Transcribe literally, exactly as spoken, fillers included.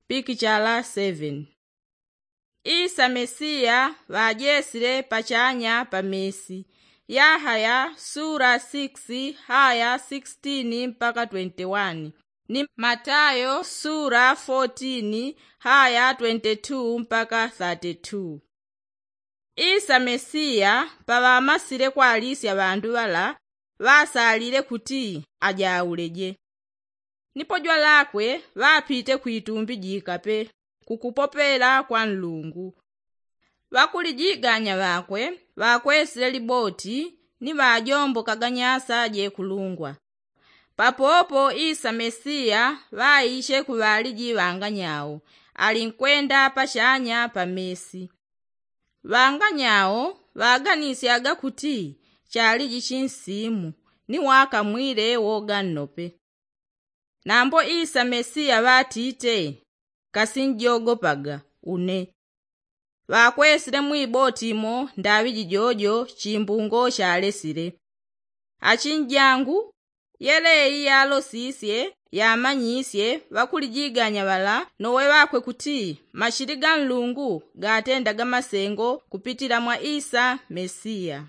pikichala seveni. Isa mesiya ŵajesile pachanya pa mesi. Yahaya sula sikisi haya sikisitini mpaka twenti wani, ni matayo sula fotini haya twenti tu mpaka thati tu. Isa mesiya paŵamasile kwalisya ŵandu ŵala, ŵasalile kuti ajauleje. Ni pojwa lakwe ŵapite kwitumbi jikape kukupopela kwa nlungu. Ŵakulijiganya ŵakwe ŵakwesile liboti ni ŵajombokaga nyasa jekulungwa. Papopo isa mesiya ŵaishe kuŵaliji ŵanganyao, alinkwenda pachanya pa mesi. Ŵanganyao ŵaganisyaga kuti chaliji chinsimu ni wakamwile woga nnope. Nambo isa mesiya ŵatite, kasinjogopaga une. Ŵakwesile mwiboti imo ndaŵi jijojo chimbungo chalesile. Achinjangu, yeleyi yalosisye yamanyisye ŵakulijiganya ŵala nowe ŵakwe kuti mashili ga nlungu gatendaga masengo kupitila mwa isa mesiya.